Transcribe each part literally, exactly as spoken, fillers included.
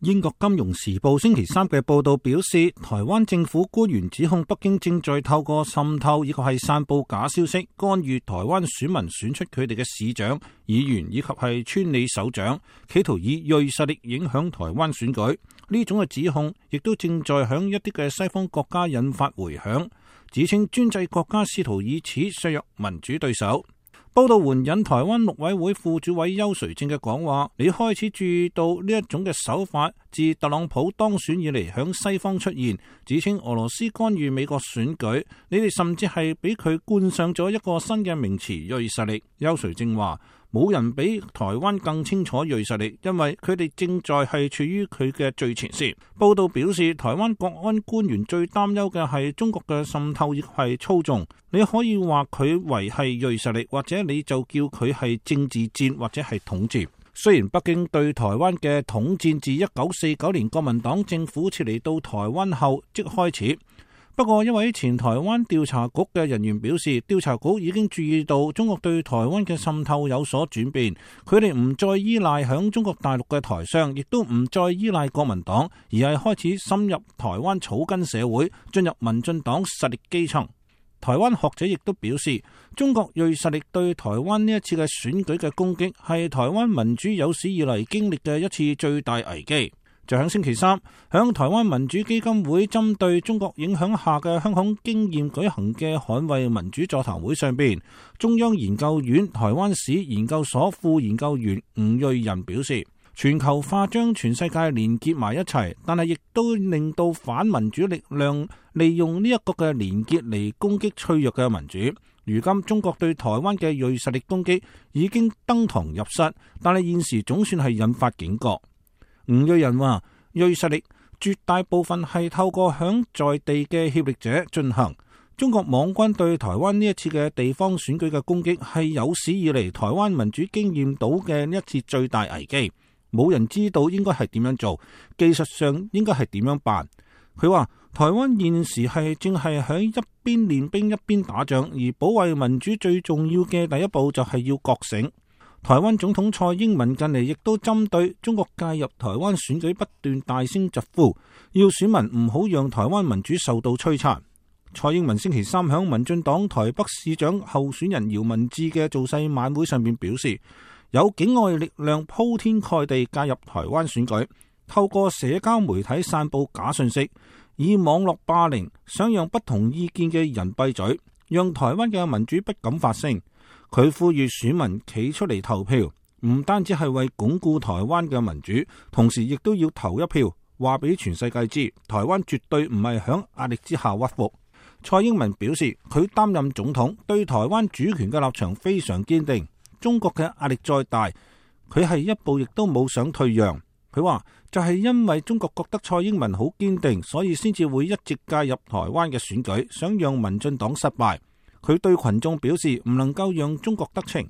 英國金融時報星期三嘅報道表示，台灣政府官員指控北京正在透過滲透以及係散布假消息，干預台灣選民選出佢哋嘅市長、議員以及係村里首長，企圖以銳實力影響台灣選舉。呢種嘅指控亦都正在響一啲嘅西方國家引發回響，指稱專制國家試圖以此削弱民主對手。報道援引台灣陸委會副主委邱垂正嘅講話，你開始注意到呢一種嘅手法自特朗普當選以嚟響西方出現，指稱俄羅斯干預美國選舉，你哋甚至係俾佢冠上咗一個新嘅名詞銳實力。邱垂正話，冇人比台灣更清楚銳實力，因為佢哋正在係處於佢嘅最前線。報道表示，台灣國安官員最擔憂嘅係中國嘅滲透亦係操縱。你可以話佢為係銳實力，或者你就叫佢係政治戰或者係統戰。雖然北京對台灣嘅統戰自一九四九年國民黨政府撤離到台灣後即開始。不過，一位前台灣調查局嘅人員表示，調查局已經注意到中國對台灣嘅滲透有所轉變，佢哋唔再依賴響中國大陸嘅台商，亦都唔再依賴國民黨，而係開始深入台灣草根社會，進入民進黨實力基層。台灣學者亦都表示，中國銳實力對台灣呢一次嘅選舉嘅攻擊，係台灣民主有史以嚟經歷嘅一次最大危機。就喺星期三，響台灣民主基金會針對中國影響下嘅香港經驗舉行嘅捍衛民主座談會上邊，中央研究院台灣史研究所副研究員吳瑞仁表示，全球化將全世界連結埋一齊，但係亦都令到反民主力量利用呢一個嘅連結嚟攻擊脆弱嘅民主。如今中國對台灣嘅銳實力攻擊已經登堂入室，但係現時總算係引發警覺。吳瑞仁話，銳實力絕大部分係透過響在地嘅協力者進行。中國網軍對台灣呢一次嘅地方選舉嘅攻擊係有史以嚟台灣民主經驗到嘅呢一次最大危機。冇人知道應該係點樣做，技術上應該係點樣辦。佢話台灣現時係正係喺一邊練兵一邊打仗，而保衛民主最重要嘅第一步就係要覺醒。台灣總統蔡英文近嚟亦都針對中國介入台灣選舉不斷大聲疾呼，要選民唔好讓台灣民主受到摧殘。蔡英文星期三響民進黨台北市長候選人姚文智嘅造勢晚會上面表示，有境外力量鋪天蓋地介入台灣選舉，透過社交媒體散布假信息，以網絡霸凌，想讓不同意見嘅人閉嘴，讓台灣嘅民主不敢發聲。佢呼籲選民企出嚟投票，唔單止係為鞏固台灣嘅民主，同時亦都要投一票，話俾全世界知，台灣絕對唔係響壓力之下屈服。蔡英文表示，佢擔任總統，對台灣主權嘅立場非常堅定。中國嘅壓力再大，佢係一步亦都冇想退讓。佢話就係因為中國覺得蔡英文好堅定，所以先至會一直介入台灣嘅選舉，想讓民進黨失敗。佢對群眾表示唔能夠讓中國得逞。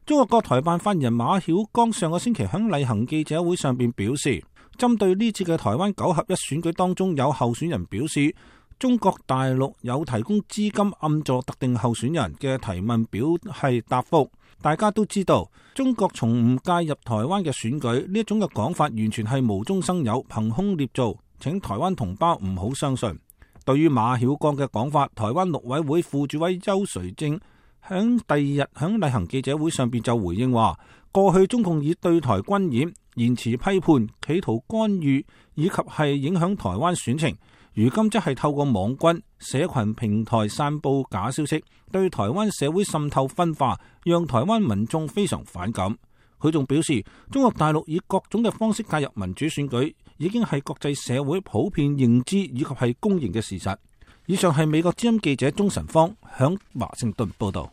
中國國台辦發言人馬曉光上個星期喺例行記者會上邊表示，針對呢次嘅台灣九合一選舉當中，有候選人表示中國大陸有提供資金暗助特定候選人嘅提問表係答覆。大家都知道，中國從唔介入台灣嘅選舉呢一種嘅講法，完全係無中生有、憑空捏造，請台灣同胞唔好相信。對於馬曉光嘅講法，台灣陸委會副主委邱垂正響第二日響例行記者會上邊就回應話，過去中共以對台軍演、言辭批判、企圖干預以及係影響台灣選情，如今則係透過網軍、社群平台散布假消息，對台灣社會滲透分化，讓台灣民眾非常反感。佢仲表示，中國大陸以各種嘅方式介入民主選舉，已經係國際社會普遍認知以及係公認嘅事實。以上係美國之音記者鍾晨芳響華盛頓報道。